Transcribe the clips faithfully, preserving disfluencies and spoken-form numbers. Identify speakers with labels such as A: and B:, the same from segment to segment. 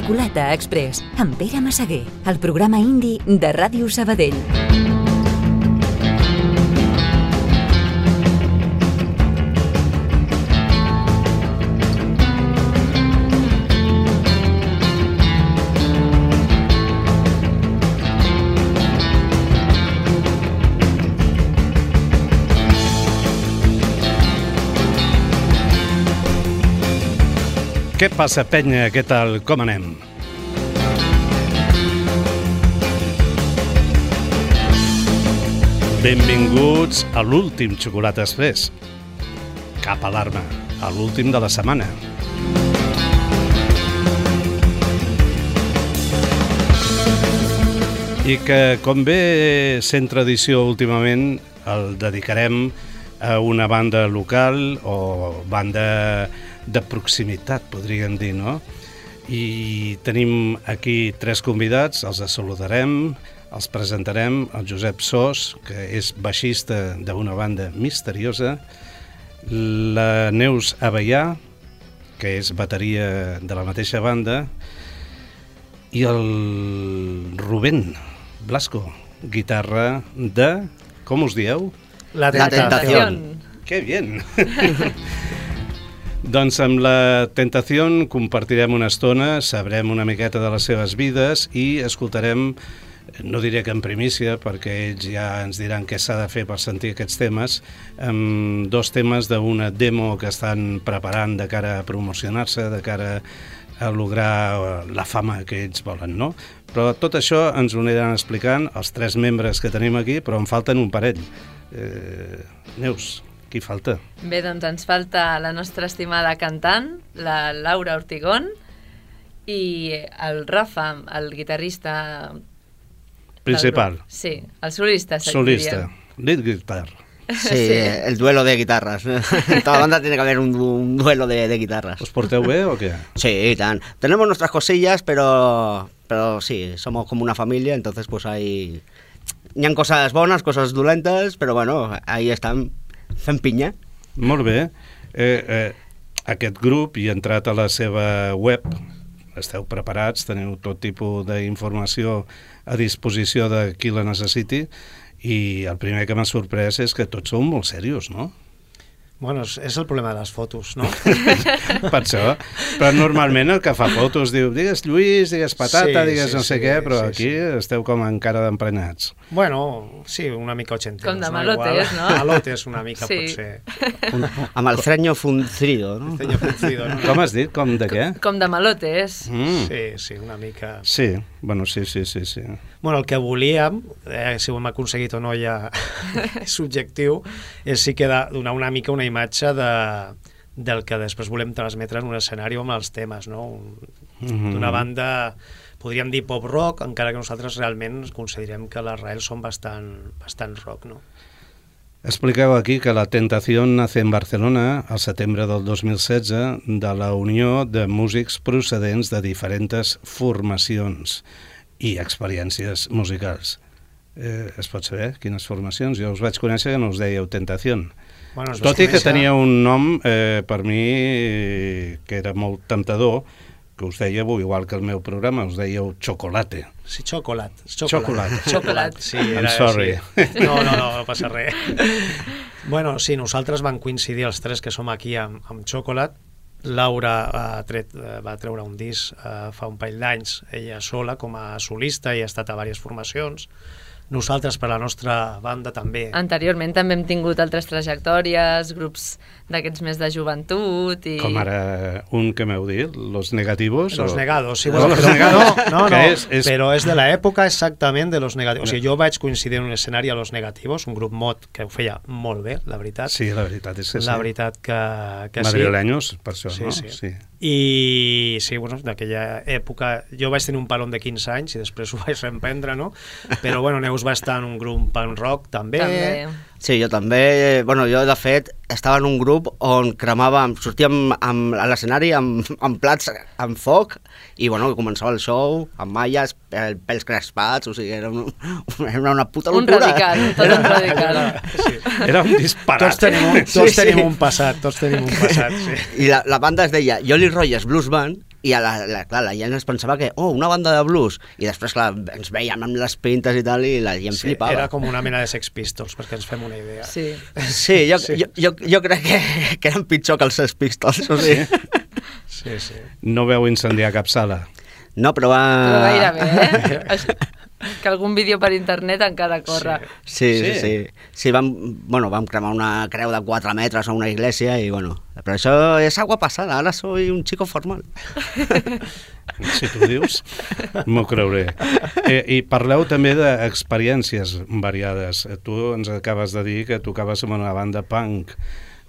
A: Xocolata Express, amb Pere Massaguer, el programa indi de Ràdio Sabadell.
B: Què passa, penya? Què tal? Com anem? Benvinguts a l'últim Xocolata Express. Cap alarma, a l'últim de la setmana. I que, com bé sent tradició últimament, el dedicarem a una banda local o banda de proximitat, podríem dir, no? I tenim aquí tres convidats, els saludarem, els presentarem, el Josep Sos, que és baixista d'una banda misteriosa, la Neus Avellà, que és bateria de la mateixa banda, i el Rubén Blasco, guitarra de... com us dieu?
C: La Tentación.
B: ¡Qué bien! Doncs amb la Tentación compartirem una estona, sabrem una miqueta de les seves vides i escoltarem, no diré que en primícia, perquè ells ja ens diran què s'ha de fer per sentir aquests temes, amb dos temes d'una demo que estan preparant de cara a promocionar-se, de cara a lograr la fama que ells volen, no? Però tot això ens ho aniran explicant els tres membres que tenim aquí, però en falten un parell. Eh, Neus, qui falta?
D: Bé, doncs ens falta la nostra estimada cantant, la Laura Ortigón, i el Rafa, el guitarrista...
B: Principal.
D: Sí, el solista.
B: Solista, lead guitar.
C: Sí, sí, el duelo de guitarras. En toda banda tiene que haber un, un duelo de, de guitarras.
B: ¿Os porteu bé o qué?
C: Sí, tan. Tenemos nuestras cosillas, pero, pero sí, somos como una familia, entonces pues hay... Hi ha coses bones, coses dolentes, però bueno, ahí estan fent pinya.
B: Molt bé. Eh, eh, aquest grup, i entrat a la seva web, esteu preparats, teniu tot tipus d'informació a disposició de qui la necessiti, i el primer que m'ha sorprès és que tots sou molt serios, no?
E: Bueno, és, és el problema de les fotos, no?
B: Per això. Però normalment el que fa fotos diu, digues Lluís, digues Patata, sí, digues sí, no sé sí, què, però sí, aquí sí. Esteu com encara d'emprenyats.
E: Bueno, sí, una mica ochenteros.
D: Com de malotes, no?
E: Malotes una mica, sí. Potser.
C: Un, amb el freño fruncido, no?
E: El freño fruncido, no?
B: Com has dit? Com de què?
D: Com de malotes.
B: Mm.
E: Sí, sí, una mica...
B: Sí, bueno, sí, sí, sí, sí.
E: Bueno, el que volíem, eh, si ho hem aconseguit o no ja és subjectiu, és sí que donar una mica una imatge de, del que després volem transmetre en un escenari amb els temes, no? Un, mm-hmm. D'una banda, podríem dir pop-rock, encara que nosaltres realment considerem que les rails són bastant, bastant rock, no?
B: Expliqueu aquí que la Tentación nace en Barcelona al setembre del dos mil setze de la unió de músics procedents de diferents formacions i experiències musicals. Eh, es pot saber quines formacions? Jo us vaig conèixer que no us dèieu Tentación. Bueno, tot i que tenia un nom, eh, per mi, que era molt temptador, que us dèieu, igual que el meu programa, us dèieu Chocolate.
E: Sí, Chocolat.
B: Chocolate.
E: Chocolat, sí. Era,
B: I'm sorry.
E: Sí. No, no, no, no passa res. Bueno, sí, nosaltres vam coincidir els tres que som aquí amb, amb Chocolat. Laura ha tret, va treure un disc eh, fa un parell d'anys, ella sola com a solista i ha estat a diverses formacions. Nosaltres, per la nostra banda, també.
D: Anteriorment també hem tingut altres trajectòries, grups d'aquests més de joventut i...
B: Com ara un que m'heu dit, Los Negativos?
E: Los
B: o...
E: Negados, sí.
B: Bueno,
E: Los
B: però,
E: Negados. No, no, no
B: és, és...
E: però és de l'època exactament de Los Negativos. O sigui, jo vaig coincidir en un escenari a Los Negativos, un grup mod que ho feia molt bé, la veritat.
B: Sí, la veritat és que sí.
E: La veritat que, que sí.
B: Madrileños, per això,
E: sí,
B: no?
E: Sí,
B: sí.
E: I sí, bueno, d'aquella època jo vaig tenir un palon de quinze anys i després ho vaig reemprendre, no? Però bueno, Neus va estar en un grup punk rock també.
D: També.
C: Sí, jo també, bueno, jo de fet estava en un grup on cremàvem, sortíem amb, a l'escenari amb, amb plats amb foc i bueno, començava el show amb malles, pels crespats, o sigui, era, un, era una puta locura.
D: Un radical, tot un radical.
E: Sí.
B: Era un disparat.
E: Tots tenim un, tots sí, tenim sí. un passat, tots tenim un passat, sí.
C: I la, la banda es deia Jolly Rogers Blues Band i a la, la, clar, la gent es pensava que, oh, una banda de blues, i després, clar, ens veiem amb les pintes i tal, i la gent
E: Sí,
C: flipava.
E: era com una mena de Sex Pistols, perquè ens fem una idea.
D: Sí.
C: Sí, jo,
E: Sí.
C: Jo, jo, jo crec que, que eren pitjor que els Sex Pistols, o sigui.
E: Sí, sí.
B: No veu incendiar cap sala.
C: No, però va...
D: Però gairebé, eh? Això- que algun vídeo per internet encara corre.
C: Sí, sí,
B: Sí.
C: sí. Sí, vam, bueno, vam cremar una creu de quatre metres a una iglesia i, bueno, però això és agua passada, ara soy un chico formal.
B: Si tu dius, m'ho creuré. Eh, I parleu també d'experiències variades. Tu ens acabes de dir que tocaves amb una banda punk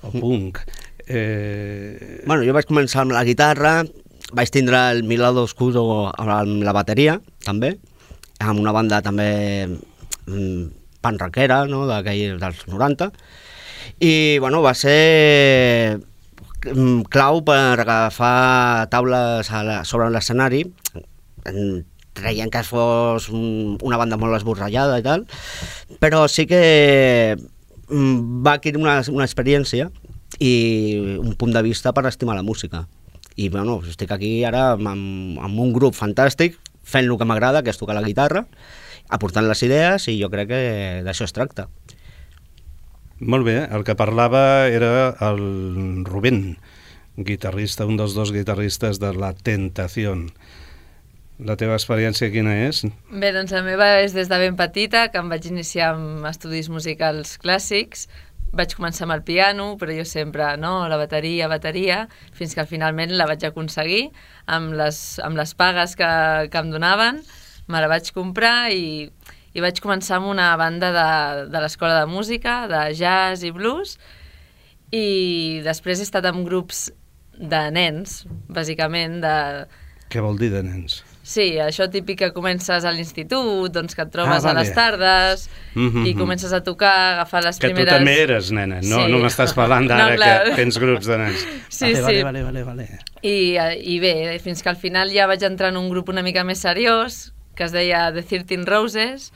B: o punk. Eh...
C: Bueno, jo vaig començar amb la guitarra, vaig tindre el Mi Lado Oscuro amb la bateria, també, amb una banda també mm, punk rockera, no?, d'aquell dels noranta, i, bueno, va ser mm, clau per agafar taules a la, sobre l'escenari, mm, creient que fos un, una banda molt esborrallada i tal, però sí que mm, va adquirir una, una experiència i un punt de vista per estimar la música. I bueno, estic aquí ara amb, amb un grup fantàstic, fent el que m'agrada, que és tocar la guitarra, aportant les idees, i jo crec que d'això es tracta.
B: Molt bé, el que parlava era el Rubén, guitarrista, un dels dos guitarristes de La Tentación. La teva experiència quina és?
D: Bé, doncs la meva és des de ben petita, que em vaig iniciar amb estudis musicals clàssics. Vaig començar amb el piano, però jo sempre, no?, la bateria, bateria, fins que finalment la vaig aconseguir amb les, amb les pagues que, que em donaven. Me la vaig comprar i, i vaig començar amb una banda de, de l'escola de música, de jazz i blues, i després he estat amb grups de nens, bàsicament, de...
B: Què vol dir de nens?
D: Sí, això típic que comences a l'institut, doncs que et trobes
B: Ah, vale.
D: a les tardes
B: Mhm,
D: i
B: mhm.
D: comences a tocar, agafar les
B: Que
D: primeres...
B: tu també eres nena, no,
D: Sí.
B: no m'estàs parlant d'ara
D: No, clar.
B: que tens grups de nens.
D: Sí,
B: vale,
D: sí.
B: Vale, vale, vale, vale.
D: I, eh, I bé, fins que al final ja vaig entrar en un grup una mica més seriós, que es deia The thirteen Roses,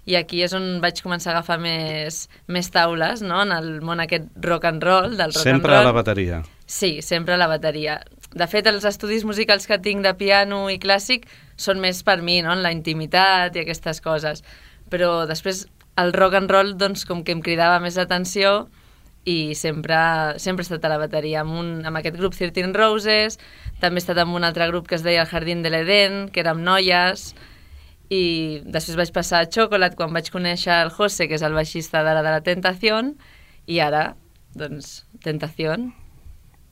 D: i aquí és on vaig començar a agafar més, més taules, no?, en el món aquest rock and roll, del rock
B: Sempre
D: and
B: a
D: roll.
B: la bateria.
D: Sí, sempre a la bateria. De fet, els estudis musicals que tinc de piano i clàssic són més per mi, no?, en la intimitat i aquestes coses. Però després el rock and roll, doncs, com que em cridava més l'atenció, i sempre, sempre he estat a la bateria, amb, un, amb aquest grup thirteen Roses, també he estat amb un altre grup que es deia El Jardín de l'Eden, que érem noies, i després vaig passar a Chocolate quan vaig conèixer el José, que és el baixista d'ara de La Tentación, i ara, doncs, Tentación,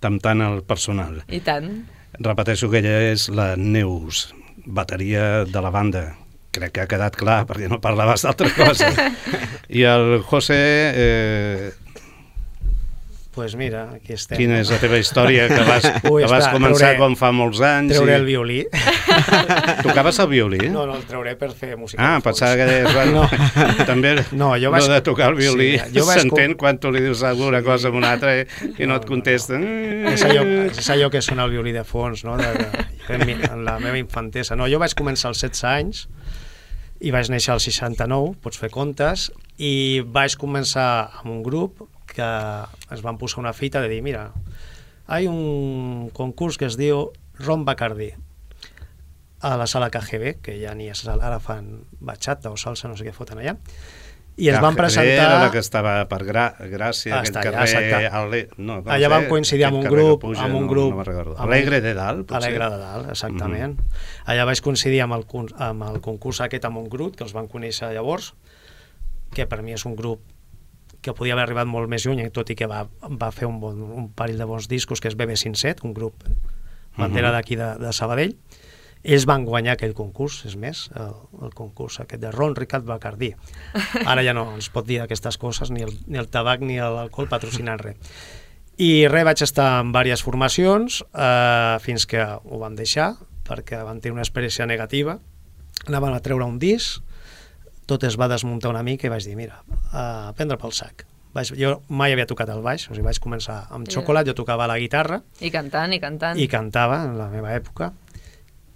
B: Temptant el personal.
D: i tant.
B: Repeteixo que ella és la Neus, bateria de la banda. Crec que ha quedat clar, perquè no parlaves d'altra cosa. I el José, eh,
E: Pues mira, aquí estem.
B: quina és la teva història? Que vas,
E: Ui,
B: que vas
E: espera,
B: començar
E: trauré-
B: quan fa molts anys.
E: Treuré
B: i...
E: el violí.
B: Tocaves el violí?
E: No, no, el trauré per fer música.
B: Ah,
E: de fons.
B: pensava que deies, bueno,
E: No.
B: també
E: No, jo
B: no
E: vaig-
B: de tocar el violí
E: Sí, jo vaig
B: s'entén
E: com-
B: quan tu li dius alguna cosa a una altra i, i no,
E: No,
B: et
E: no,
B: contesten.
E: És allò, és allò que sona el violí de fons, no? De, de, en, mi- en la meva infantesa. No, jo vaig començar als setze anys i vaig néixer al seixanta-nou, pots fer comptes, i vaig començar amb un grup que ens van posar una fita de dir, mira, hi ha un concurs que es diu Ron Bacardí a la sala K G B, que ja ni és, ara fan bachata o salsa, no sé què foten allà, i es van presentar...
B: Era la que estava per Gra Gràcia,
E: Ah,
B: aquest
E: està allà,
B: carrer...
E: exacte.
B: Ale... No, com
E: Allà
B: sé,
E: vam coincidir amb
B: aquest
E: un
B: carrer que
E: grup,
B: puja,
E: amb un
B: no-
E: grup...
B: No, me'n recordo.
E: amb un-
B: Alegre de dalt, potser?
E: Alegre de dalt, exactament. Mm -hmm. Allà vaig coincidir amb el, con- amb el concurs aquest amb un grup, que els van conèixer llavors, que per mi és un grup que podia haver arribat molt més lluny, tot i que va, va fer un, bon, un parell de bons discos, que és B B cinc-set, un grup bandera
B: Mhm.
E: d'aquí de, de Sabadell. Ells van guanyar aquell concurs, és més, el, el concurs aquest de Ron Ricard Bacardí. Ara ja no ens pot dir aquestes coses, ni el, ni el tabac ni l'alcohol patrocinant res. I res, vaig estar en diverses formacions eh, fins que ho vam deixar, perquè van tenir una experiència negativa. Anaven a treure un disc, tot es va desmuntar una mica i vaig dir, mira, a prendre pel sac. Vaig, jo mai havia tocat el baix, o sigui, vaig començar amb Chocolate, jo tocava la guitarra
D: I cantant, i cantant.
E: i cantava en la meva època,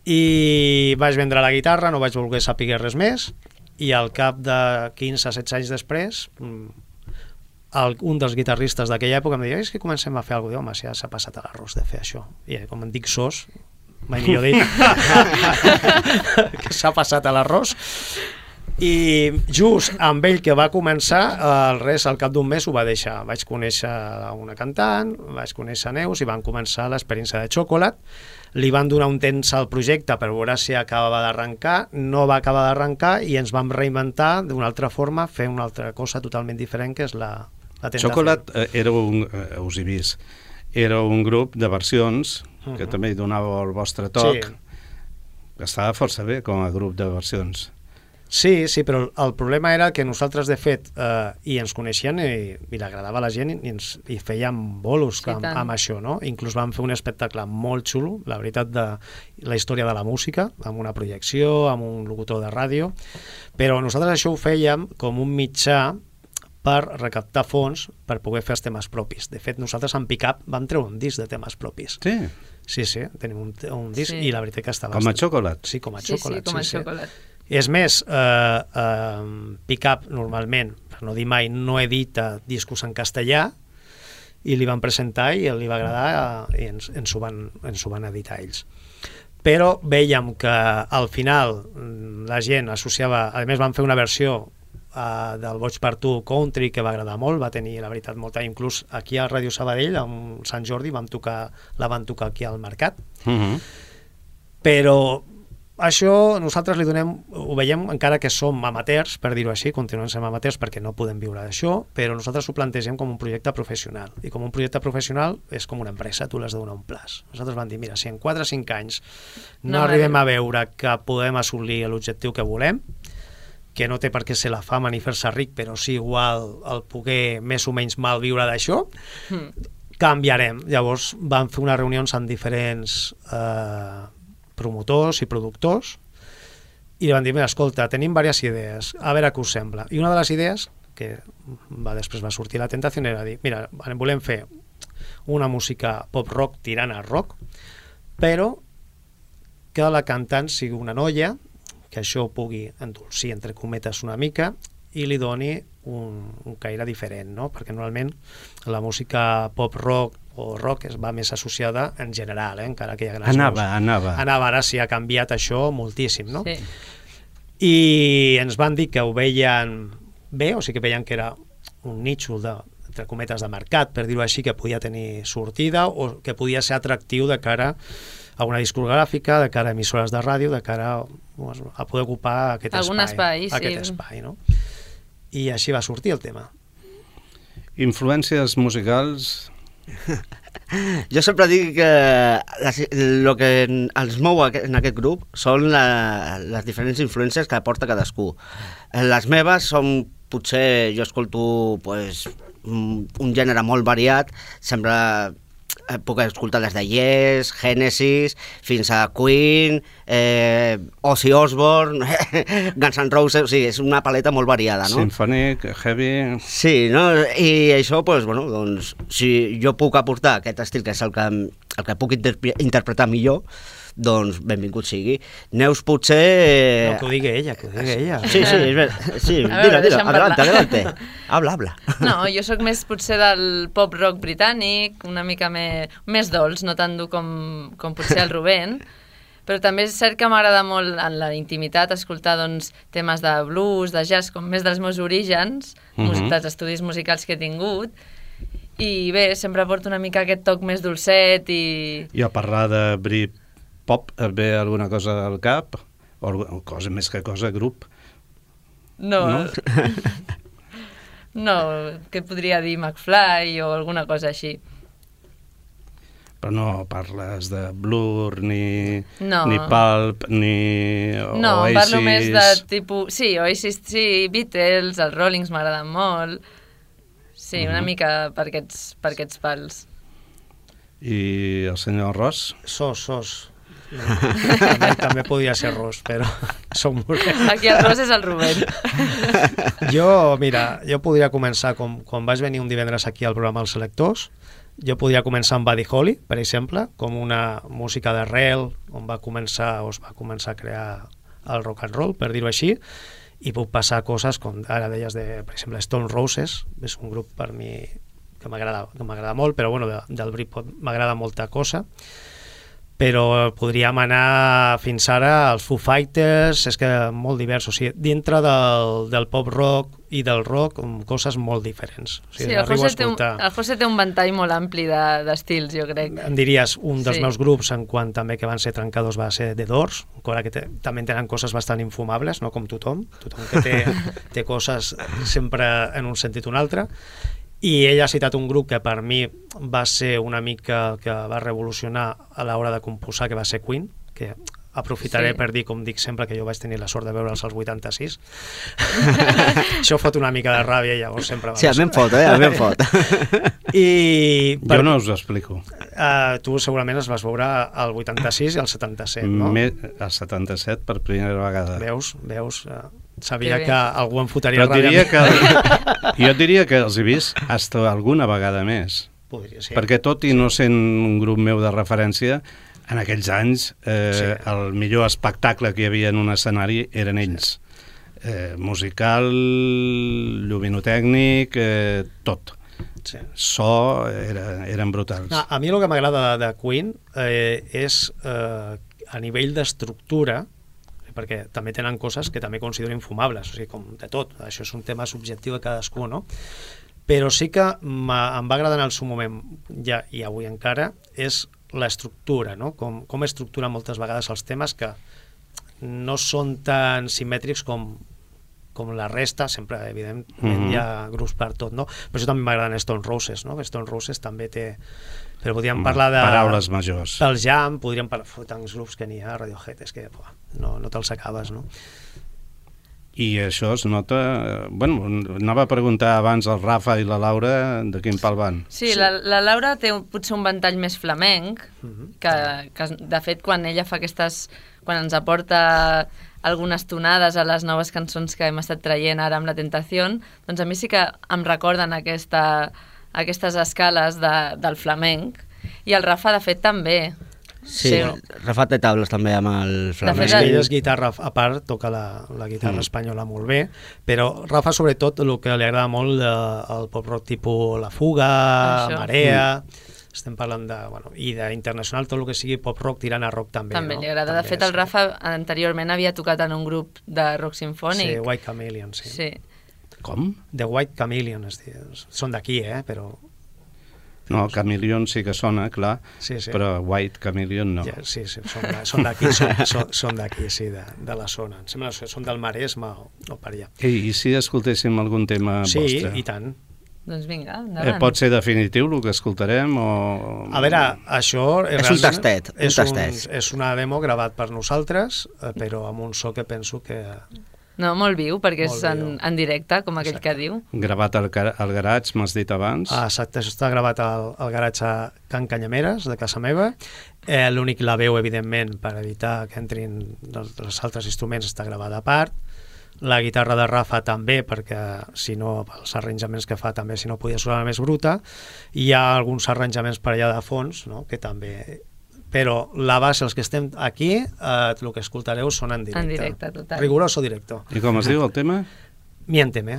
E: i vaig vendre la guitarra, no vaig voler saber res més, i al cap de quinze setze anys després, el, un dels guitarristes d'aquella època em deia, és que comencem a fer alguna cosa, home, si ja s'ha passat a l'arròs de fer això. I com em dic sos, mai millor dit, que s'ha passat a l'arròs. I just amb ell que va començar, el res al cap d'un mes ho va deixar. Vaig conèixer una cantant, vaig conèixer Neus i van començar l'experiència de Chocolate. Li van donar un temps al projecte per veure si acabava d'arrencar, no va acabar d'arrencar i ens vam reinventar d'una altra forma, fer una altra cosa totalment diferent, que és la, la tentació.
B: Chocolate eh, era un, eh, us he vist, era un grup de versions que uh-huh. també hi donava el vostre toc, sí. que estava força bé com a grup de versions.
E: Sí, sí, però el problema era que nosaltres, de fet, eh, i ens coneixien i, i l'agradava a la gent i, ens, i fèiem bolos sí, amb, amb això, no? Inclús vam fer un espectacle molt xulo, la veritat, de la història de la música, amb una projecció, amb un locutor de ràdio, però nosaltres això ho fèiem com un mitjà per recaptar fons per poder fer els temes propis. De fet, nosaltres amb Pick-Up vam treure un disc de temes propis.
B: Sí?
E: Sí, sí, tenim un, un disc sí. i la veritat que estava...
B: Com a Chocolate?
E: Sí, com a
D: sí,
E: Chocolate.
D: Sí, com a
E: sí,
D: Chocolate.
E: Sí. És més, eh, eh, Pick-Up normalment, per no dir mai, no edita discos en castellà i li van presentar i li va agradar i ens, ens, ho van, ens ho van editar ells. Però veiem que al final la gent associava... A més, van fer una versió eh, del Boig per tu country que va agradar molt, va tenir, la veritat, molta... Inclús aquí a Ràdio Sabadell, amb Sant Jordi, vam tocar, la van tocar aquí al Mercat. Uh-huh. Però... Això nosaltres li donem, ho veiem encara que som amateurs, per dir-ho així, continuem sent amateurs perquè no podem viure d'això, però nosaltres ho plantegem com un projecte professional. I com un projecte professional és com una empresa, tu l'has de donar un plaç. Nosaltres vam dir, mira, si en quatre o cinc anys no, no arribem a veure que podem assolir l'objectiu que volem, que no té per què ser la fama ni fer-se ric, però sí igual el poder més o menys mal viure d'això, mm. canviarem. Llavors vam fer unes reunions amb diferents... Eh, promotors i productors i van dir, mira, escolta, tenim diverses idees, a veure què us sembla. I una de les idees, que va, després va sortir la tentació, era dir, mira, volem fer una música pop-rock tirant a rock, però que la cantant sigui una noia, que això pugui endolcir, entre cometes, una mica, i li doni un, un caire diferent, no? Perquè normalment la música pop-rock o rock es va més associada en general, eh? Encara que hi ha grans
B: anava,
E: nous.
B: anava.
E: Anava, ara sí ha canviat això moltíssim, no?
D: Sí.
E: I ens van dir que ho veien bé, o sigui que veien que era un nítxol de, entre cometes, de mercat, per dir-ho així, que podia tenir sortida o que podia ser atractiu de cara a una discogràfica, de cara a emissores de ràdio, de cara a, a poder ocupar aquest
D: Algun
E: espai.
D: espai,
E: aquest
D: sí.
E: espai, no? I així va sortir el tema.
B: Influències musicals...
C: Jo sempre dic que el que els mou en aquest grup són la, les diferents influències que aporta cadascú. Les meves són, potser jo escolto pues, un gènere molt variat, sempre puc escoltar des de Yes, Genesis, fins a Queen, eh, Ozzy Osbourne, Guns N' Roses, o sigui, és una paleta molt variada, no?
B: Symphonic, heavy...
C: Sí, no? I això, doncs, bueno, doncs, si jo puc aportar aquest estil, que és el que, el que puc interpre interpretar millor, doncs benvingut sigui. Neus potser...
E: No, que ho digui ella, que ho digui ella.
C: Sí, sí, és ver... sí, dila, dila, adelante, adelante. Habla, habla.
D: No, jo sóc més potser del pop-rock britànic, una mica més, més dolç, no tan dur com, com potser el Rubén, però també és cert que m'agrada molt en la intimitat escoltar doncs, temes de blues, de jazz, com més dels meus orígens, uh-huh. dels estudis musicals que he tingut, i bé, sempre porto una mica aquest toc més dolcet i...
B: I a parlar de Brit pop, et ve alguna cosa al cap? O cosa més que cosa, grup?
D: No. No, no què podria dir, McFly o alguna cosa així.
B: Però no parles de Blur, ni,
D: no.
B: ni Pulp, ni Oasis...
D: No, parlo més de tipus... Sí, Oasis, sí, Beatles, els Rollings m'agraden molt. Sí, una uh-huh. mica per aquests, per aquests pals.
B: I el senyor Ross?
E: Sos, sos. No, també, també podria ser Ross, però som molt...
D: Aquí el Ross és el Rubén.
E: Jo, mira, jo podria començar, com, quan vaig venir un divendres aquí al programa Els Selectors, jo podria començar amb Buddy Holly, per exemple, com una música d'arrel, on va començar, o es va començar a crear el rock and roll, per dir-ho així, i puc passar coses com ara deies de, per exemple, Stone Roses, és un grup per mi que m'agrada que m'agrada molt, però bueno, de, del Britpop m'agrada molta cosa. però podríem anar fins ara als Foo Fighters, és que molt divers, o sigui, dintre del, del pop rock i del rock, coses molt diferents. O sigui,
D: sí, el José, té un, el José té un ventall molt ampli d'estils, de, jo crec.
E: Em diries, un dels
D: sí.
E: meus grups, en quant també que van ser trencadors, va ser The Doors, encara que te, també tenen coses bastant infumables, no com tothom, tothom que té, té coses sempre en un sentit o un altre. I ell ha citat un grup que per mi va ser una mica que va revolucionar a l'hora de composar, que va ser Queen, que aprofitaré sí. per dir, com dic sempre, que jo vaig tenir la sort de veure'ls als vuitanta-sis. Això fot una mica de ràbia i llavors sempre...
C: Sí, a mi em fot, eh? A mi em fot.
E: I per...
B: Jo no us ho explico.
E: Uh, tu segurament es vas veure al vuitanta-sis i al setanta-set, no?
B: Me, al setanta-set per primera vegada.
E: Veus, veus... Uh, sabia que algú em fotria
B: Però
E: ràbia.
B: Diria que, jo diria que els he vist hasta alguna vegada més.
E: Podria ser.
B: Perquè tot i no sent un grup meu de referència, en aquells anys eh, sí. el millor espectacle que hi havia en un escenari eren ells. Sí. Eh, musical, lluminotècnic, eh, tot. Sí. So, era, eren brutals.
E: No, a mi el que m'agrada de, de Queen eh, és eh, a nivell d'estructura, perquè també tenen coses que també considero infumables, o sigui, com de tot, això és un tema subjectiu de cadascú, no? Però sí que em va agradar en el seu moment, ja i avui encara, és l'estructura, no? Com, com estructura moltes vegades els temes que no són tan simètrics com, com la resta, sempre, evidentment, mm-hmm. hi ha grups per tot, no? Però això també m'agraden Stone Roses, no? Stone Roses també té... Però podríem parlar de...
B: Paraules majors.
E: Del Jam, podríem parlar... Tants grups que n'hi ha, Radiohead, és que buah, no, no te'ls acabes, no?
B: I això es nota... Bueno, anava a preguntar abans al Rafa i la Laura de quin pal van.
D: Sí, sí. La, la Laura té potser un ventall més flamenc, uh-huh. que, que de fet quan ella fa aquestes... Quan ens aporta algunes tonades a les noves cançons que hem estat traient ara amb La Tentación, doncs a mi sí que em recorden aquesta... aquestes escales de, del flamenc, i el Rafa de fet també.
C: Sí, sí. Rafa té tables també amb el flamenc.
E: De fet, ell és guitarra, a part toca la, la guitarra mm. espanyola molt bé, però Rafa sobretot el que li agrada molt eh, el pop rock tipus La Fuga, Això. Marea, mm. estem parlant de, bueno, i d'internacional tot el que sigui pop rock tirant a rock també.
D: També
E: no?
D: li agrada, també, de fet el Rafa anteriorment havia tocat en un grup de rock sinfònic.
E: Sí, White Chameleon, sí.
D: Sí.
B: Com?
E: The White Chameleon, es diu. Són d'aquí, eh, però...
B: No, Chameleon sí que sona, clar,
E: sí, sí.
B: però White Chameleon no.
E: Ja, sí, sí, són d'aquí, són, són, són d'aquí, sí, de, de la zona. Em sembla que són del Maresme o, o per allà.
B: I, I si escoltéssim algun tema
E: sí,
B: vostre?
E: Sí, i tant.
D: Doncs vinga, endavant.
B: Eh, pot ser definitiu el que escoltarem o...
E: A veure, això... És,
C: és un tastet. Un
E: és,
C: tastet.
E: Un, és una demo gravat per nosaltres, però amb un so que penso que...
D: No, molt viu, perquè molt és en, en directe, com aquell
E: exacte.
D: Que diu.
B: Gravat al, al garatge, m'has dit abans.
E: Ah, exacte, això està gravat al, al garatge a Can Canyameres, de casa meva. Eh, L'únic la veu, evidentment, per evitar que entrin els, els altres instruments, està gravada a part. La guitarra de Rafa també, perquè si no, els arranjaments que fa també, si no podia sonar més bruta. Hi ha alguns arranjaments per allà de fons, no?, que també... Però la base, els que estem aquí, eh, el que escoltareu són en directe.
D: En directe, total.
E: Riguroso directo.
B: I com es diu el tema?
E: Miénteme.